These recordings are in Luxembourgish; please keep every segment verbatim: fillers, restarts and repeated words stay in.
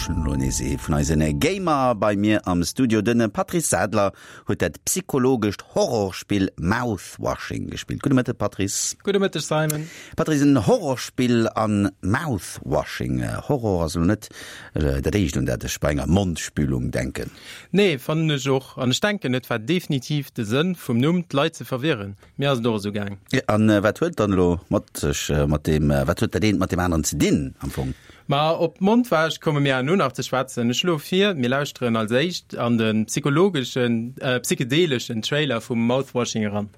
Ech hunn elo nees ee vun eisen Gamer bei mir am Studio. Den Patrice Sadler huet dat psychologescht Horrorspill Mouthwashing gespillt. Gudde Mëtteg, Patrice. Gudde Mëtteg, Simon. Patrice, en Horrorspill an Mouthwashing. Horror ass elo net dat éischt, un dat ech bei enger Mondspülung denken. Nee, fannen ech och. An ech denken, et war definitiv de Sënn vum Numm, d'Leit ze verwirren. Mir ass et och esou gaang. An wat huet dann elo mat sech mat deem, wat huet dat eent mat deem aneren ze dinn am Fong? Ma op d'Mondwäsch komme mir herno nach ze schwätzen. Ech schloe vir, mir lauschteren als éischt an de psychologeschen, psychedeleschen Trailer vum Mouthwashing eran.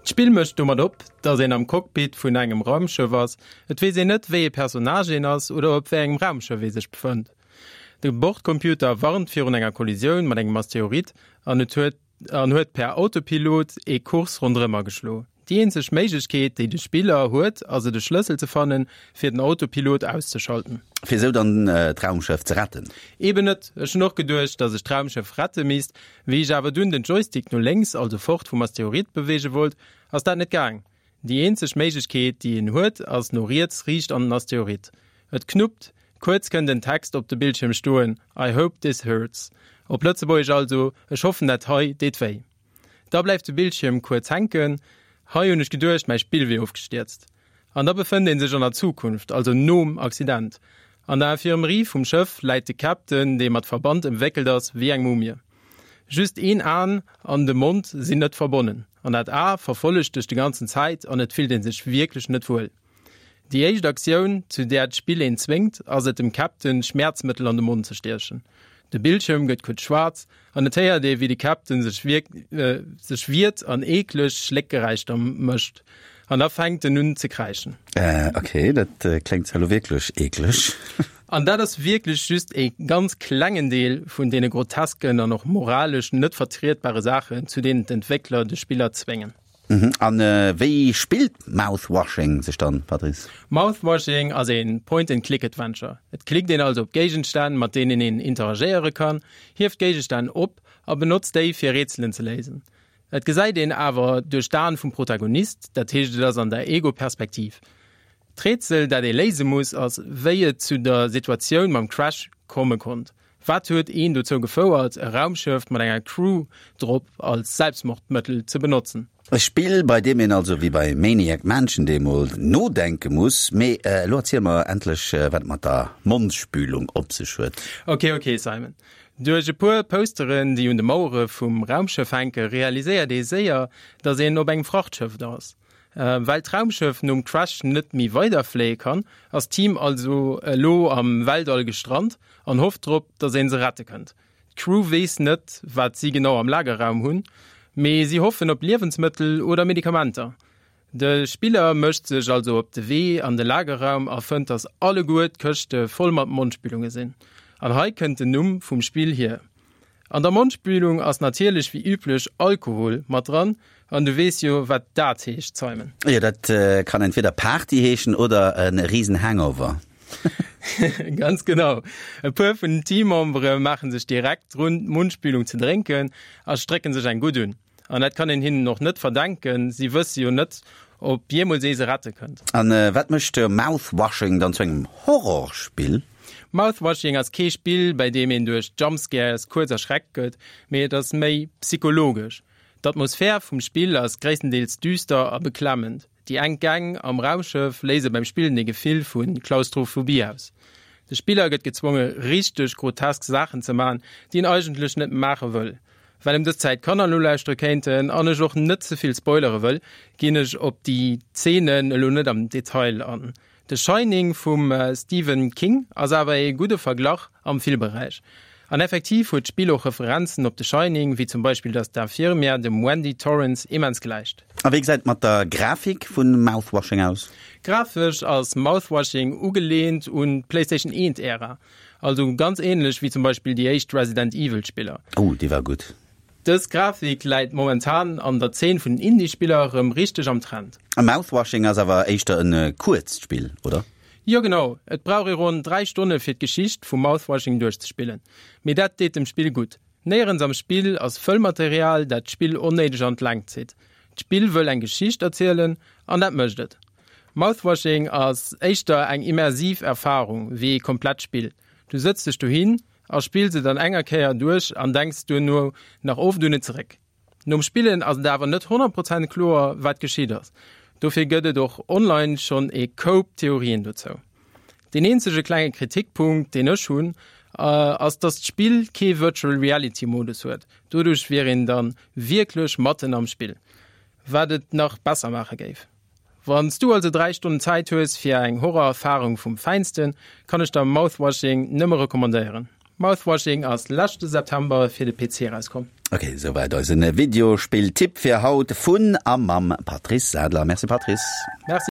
D'Spill mécht domat op, dass een am Cockpit vun engem Raumschëff ass. Et weess een net, wéi ee Personnage een ass oder op wéi engem Raumschëff ee sech befënnt. De Bordcomputer warnt virun enger Kollisioun mat engem Asteroid an et huet an huet per Autopilot ee Kurs ronderëm ageschlo. Déi eenzeg Méiglechkeet, déi de Spiller huet, ass et e Schlëssel ze fannen, fir den Autopilot auszeschalten. Fir esou dann d'Raumschëff ze retten? Eben net. Ech hunn och geduecht, dass ech d'Raumschëff rette misst. Wéi ech awer dunn den Joystick no lénks, also fort vum Asteroid, beweege wollt, ass dat net gaang. Déi eenzeg Méiglechkeet, déi een huet, ass no riets riicht an den Asteroid. Et knuppt, kuerz kënnt en Text op de Bildschierm stoen, I hope this hurts. Op Lëtzebuergesch also, Ech hoffen dat hei deet wéi. Da bleift de Bildschierm kuerz hänken. Hei hunn ech geduecht, mäi Spill wier ofgestierzt. An da befënnt ee sech an der Zukunft, also nom Accident. An der Infirmerie vum Schëff läit de Captain, dee mat Verband ëmwéckelt ass wéi eng Mumie. Just een Aen an de Mond sinn net verbonnen. An dat A verfollegt dech de ganzen Zäit an et fillt ee sech wierklech net wuel. Déi éischt Aktioun, zu där d'Spill een zwéngt, ass et dem Captain Schmäerzmëttel an de Mond ze stiechen. De Bildschierm gëtt kuerz schwaarz an et héiert ee wéi de Captain sech sech wiert an eekleg Schléckgeräischter mécht. An da fänkt en un ze kräischen. Äh, ok, dat kléngt zwar elo wierklech eekleg. An dat ass wierklech just ee ganz klengen Deel vun deene grotesken an och moralesch net vertrietbare Saachen, zu deenen d'Entwéckler de Spiller zwéngen. An wéi spillt Mouthwashing sech dann, Patrice? Mouthwashing ass een Point-and-Click-Adventure. Et klickt een also op Géigenstänn, mat deenen een interagéiere kann, hieft Géigestänn op a benotzt déi fir Rätselen ze léisen. Et gesäit een awer duerch d'Aen vum Protagonist, dat heescht et ass an der Ego-Perspektiv. D'Rätsel dat ee léise muss ass, wéi et zu der Situatioun mam Crash komme konnt. Wat huet een dozou gefouert, e Raumschëff mat enger Crew drop als Selbstmordmëttel ze benotzen? E Spill, bei deem een also wéi bei Maniac Mansion deemol nodenke muss. Mee elo erziel mer endlech, wat et mat der Mondspülung op sech huet. Ok, ok, Simon. Duerch e puer Posteren, déi un de Mauere vum Raumschëff hänke, realiséiert ee séier, datt een op engem Frachtschëff ass. Well d'Raumschëff nom Crash net méi weiderfléie kann, ass d'Team also elo am Weltall gestrant an hofft drop, datt ee se rette kënnt. D'Crew weess net, wat si genau am Lagerraum hunn, mee si hoffen op Liewensmëttel oder Medikamenter. De Spiller mécht sech also op de Wee an de Lagerraum a fënnt, dass alleguer d'Këschte voll mat Mondspülunge sinn. An hei kënnt den Numm vum Spill hier. An der Mondspülung ass natierlech wéi üblech Alkohol mat dran, an du weess jo, wat dat heescht, Simon. Jo, dat kann entweder Party heeschen oder e risen Hangover. Ganz genau. E puer vun den Teammembere maache sech direkt drun, d'Mundspülung ze drénken a strécke sech eng gutt un. An dat kann een hinnen och net verdenken, si wësse jo net, ob jeemools ee se rette kënnt. A wat mécht Mouthwashing dann zu engem Horrorspill? Mouthwashing ass kee Spill, bei deem een duerch Jumpscares kuerz erschreckt gëtt, mee et ass méi psychologesch. D'Atmosphär vum Spill ass gréisstendeels düster a beklemmend. Déi enk Gäng am Raumschëff léise beim Spillen ee Gefill vu Klaustrophobie aus. De Spiller gëtt gezwonge richteg grotesk Saachen ze man, déi en eigentlech net maache wëll. Well ëm dës Zäit Kanner nolauschtere kéinten an ech och net ze vill spoilere wëll, ginn ech op déi Zeenen elo net am Detail an. The Shining vum Stephen King ass awer ee gudde Verglach am Filmberäich. An effektiv huet d'Spill och Referenzen op The Shining, wéi zum Beispill dass d'Infirmière dem Wendy Torrance immens gläicht. A wéi gesäit et mat der Grafik vu Mouthwashing aus? Grafesch ass Mouthwashing ugeleent un d'PlayStation eent Ära, also ganz ähnlech wéi zum Beispill déi éischt Resident Evil Spiller. Oh, déi war gutt. Dës Grafik läit momentan an der Zeen vun den Indie-Spiller rëm richteg am Trend. A Mouthwashing ass awer éischter en kuerzt Spill, oder? Jo genau, et brauch ee ronn dräi Stonne fir d'Geschicht vu Mouthwashing duerchzespillen. Mee dat deet dem Spill gutt. Néierens am Spill ass Fëllmaterial, dat d'Spill onnéideg an d'Längt zitt. D'Spill wëll eng Geschicht erzielen an dat mécht et. Mouthwashing ass éischter eng immersiv Erfarung wéi ee komplett Spill. Du sëtz dech dohin a spills et an enger Kéier duerch an denks duerno nach oft un et zeréck. Nom Spillen ass et awer net honnert Prozent kloer, wat geschitt ass. Dofir gëtt et och online schonn e Koup Theorien dozou. Deen eenzege klenge Kritikpunkt, deen ech hunn, ass, dass d'Spill kee Virtual Reality Modus huet. Doduerch wier een dann wierklech matten am Spill, wat et nach besser maache géif. Wann s du also dräi Stonnen Zäit hues fir eng Horror-Erfarung vum Fäinsten, kann ech der Mouthwashing nëmme recommandéieren. Mouthwashing ass leschte September fir de P C erauskomm. Ok, souwäit eisen Videospill-Tipp fir haut vun a mam Patrice Sadler. Merci Patrice. Merci.